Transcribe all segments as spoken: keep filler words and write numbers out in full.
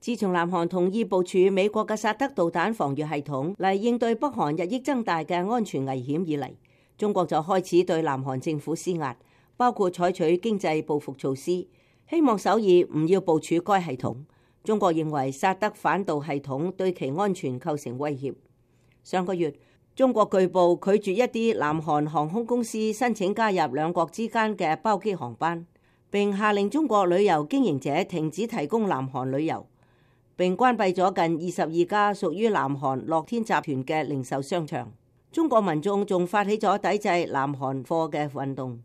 自從南韓同意部署美國嘅薩德導彈防禦系統嚟應對北韓日益增大嘅安全危險以嚟，中國就開始對南韓政府施壓，包括採取經濟報復措施，希望首爾唔要部署該系統。中國認為薩德反導系統對其安全構成威脅。上個月，中國據報拒絕一啲南韓航空公司申請加入兩國之間嘅包機航班，並下令中國旅遊經營者停止提供南韓旅遊，並關閉咗近二十二家屬於南韓樂天集團嘅零售商場。中國民眾仲發起咗抵制南韓貨嘅運動。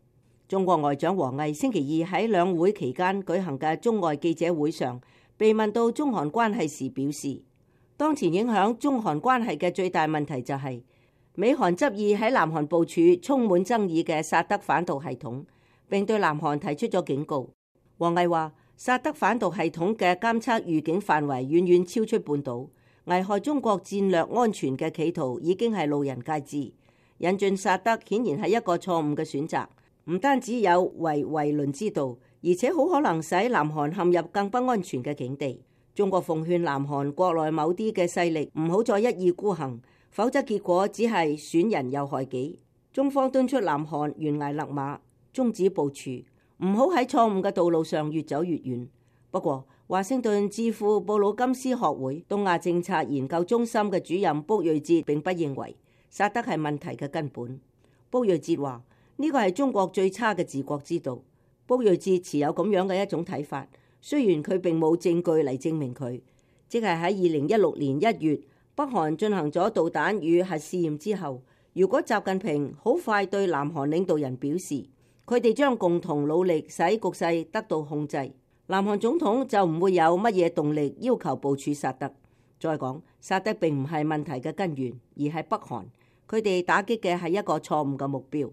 中國外長王毅星期二喺兩會期間舉行嘅中外記者會上，被問到中韓關係時表示，當前影響中韓關係嘅最大問題就係美韓執意喺南韓部署充滿爭議嘅薩德反導系統，並對南韓提出咗警告。王毅話，薩德反導系統嘅監測預警範圍遠遠超出半島，危害中國戰略安全嘅企圖已經係路人皆知。引進薩德顯然係一個錯誤嘅選擇，唔單止有違遺倫之道，而且好可能使南韓陷入更不安全嘅境地。中國奉勸南韓國內某啲嘅勢力唔好再一意孤行，否則結果只係損人又害己。中方敦促南韓懸崖勒馬，終止部署，唔好喺錯誤嘅道路上越走越遠。不過，華盛頓智庫布魯金斯學會東亞政策研究中心嘅主任卜睿哲並不認為薩德係問題嘅根本。卜睿哲話：呢個係中國最差嘅治國之道。卜睿哲持有咁樣嘅一種睇法，雖然佢並冇證據嚟證明佢，即係喺二零一六年一月北韓進行咗導彈與核試驗之後，如果習近平好快對南韓領導人表示佢哋將共同努力使局勢得到控制，南韓總統就唔會有乜嘢動力要求部署薩德。再講，薩德並唔係問題嘅根源，而係北韓，佢哋打擊嘅係一個錯誤嘅目標。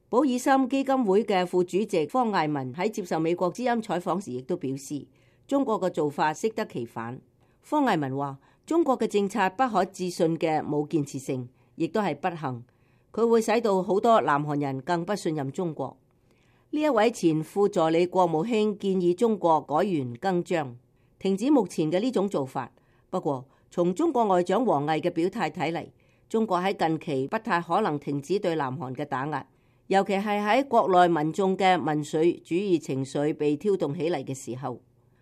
保爾森基金會嘅副主席方艾文喺接受美國之音採訪時亦都表示，中國嘅做法適得其反。方艾文話，中國嘅政策不可置信嘅冇建設性，亦都係不幸，佢會使到好多南韓人更不信任中國。呢一位前副助理國務卿建議中國改弦更張，停止目前嘅呢種做法。不過，從中國外長王毅嘅表態睇嚟，中國喺近期不太可能停止對南韓嘅打壓，尤其係喺國內民眾嘅民粹主義情緒被挑動起嚟嘅時候。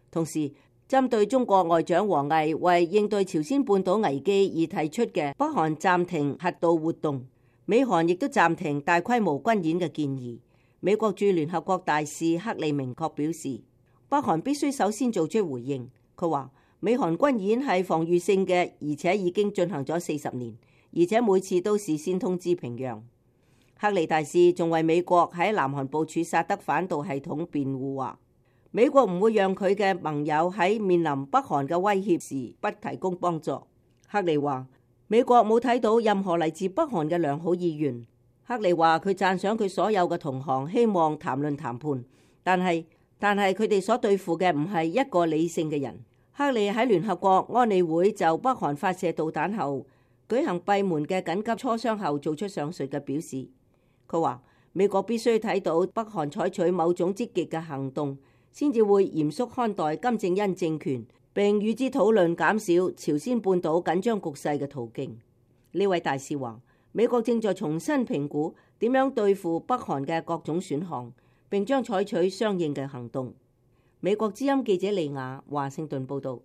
同時，針對中國外長王毅為應對朝鮮半島危機而提出嘅北韓暫停核導活動，美韓亦都暫停大規模軍演嘅建議。美國駐聯合國大使克里明確表示，北韓必須首先做出回應。佢話，美韓軍演係防禦性嘅，而且已經進行咗四十年，而且每次都事先通知平壤。克里大使仲為美國喺南韓部署薩德反導系統辯護，話美國唔會讓佢嘅盟友喺面臨北韓嘅威脅時不提供幫助。克里話，美國冇睇到任何嚟自北韓嘅良好意願。克里話佢讚賞佢所有嘅同行希望談論談判，但係但係佢哋所對付嘅唔係一個理性嘅人。克里喺聯合國安理會就北韓發射導彈後舉行閉門嘅緊急磋商後做出上述嘅表示。佢話美國必須睇到北韓採取某種積極嘅行動，先至會嚴肅看待金正恩政權，並與之討論減少朝鮮半島緊張局勢嘅途徑。呢位大使話，美國正在重新評估點樣對付北韓嘅各種選項，並將採取相應嘅行動。美國之音記者利亞華盛頓報道。